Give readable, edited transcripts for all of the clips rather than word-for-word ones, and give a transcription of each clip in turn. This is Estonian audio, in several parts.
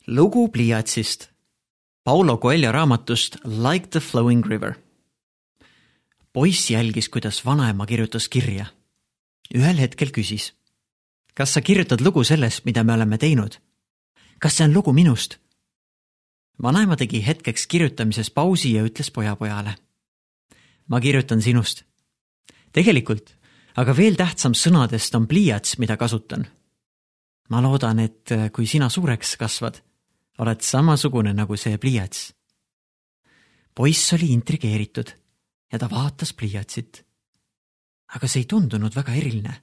Lugu pliiatsist. Paulo Coelho raamatust Like the Flowing River. Poiss jälgis, kuidas vanaema kirjutas kirja. Ühel hetkel küsis. Kas sa kirjutad lugu sellest, mida me oleme teinud? Kas see on lugu minust? Vanaema tegi hetkeks kirjutamises pausi ja ütles pojale. Ma kirjutan sinust. Tegelikult, aga veel tähtsam sõnadest on pliiats, mida kasutan. Ma loodan, et kui sina suureks kasvad, oled samasugune nagu see pliiats. Poiss oli intrigeeritud ja ta vaatas pliiatsit. Aga see ei tundunud väga eriline.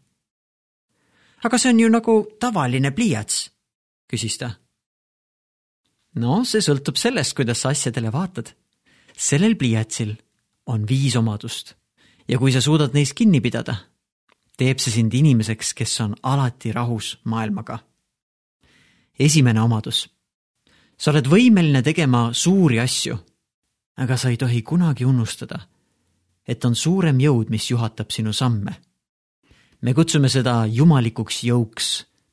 Aga see on ju nagu tavaline pliiats, küsis ta. No, see sõltub sellest, kuidas sa asjadele vaatad. Sellel pliiatsil on 5 omadust ja kui sa suudad neist kinni pidada, teeb see sind inimeseks, kes on alati rahus maailmaga. Esimene omadus. Sa oled võimeline tegema suuri asju, aga sa ei tohi kunagi unustada, et on suurem jõud, mis juhatab sinu samme. Me kutsume seda jumalikuks jõuks,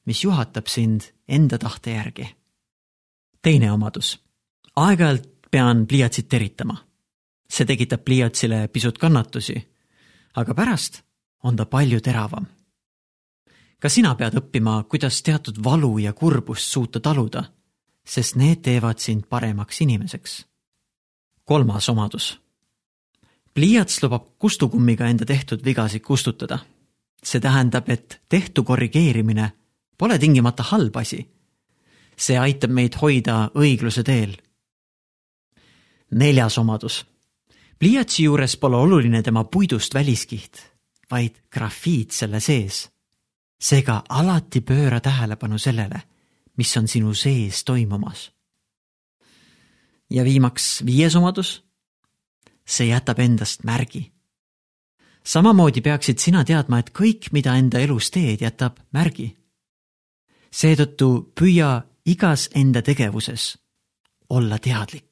mis juhatab sind enda tahte järgi. Teine omadus. Aeg-ajalt pean pliiatsit teritama. See tekitab pliiatsile pisut kannatusi, aga pärast on ta palju teravam. Ka sina pead õppima, kuidas teatud valu ja kurbust suuta taluda, sest need teevad sind paremaks inimeseks. 3. omadus. Pliiats lubab kustukummiga enda tehtud vigasid kustutada. See tähendab, et tehtu korrigeerimine pole tingimata halb asi. See aitab meid hoida õigluse teel. 4. omadus. Pliiatsi juures pole oluline tema puidust väliskiht, vaid grafiit selle sees. Seega alati pööra tähelepanu sellele, mis on sinu sees toimumas. Ja viimaks 5. omadus. See jätab endast märgi. Samamoodi peaksid sina teadma, et kõik, mida enda elus teed, jätab märgi. Seetõttu püüa igas enda tegevuses olla teadlik.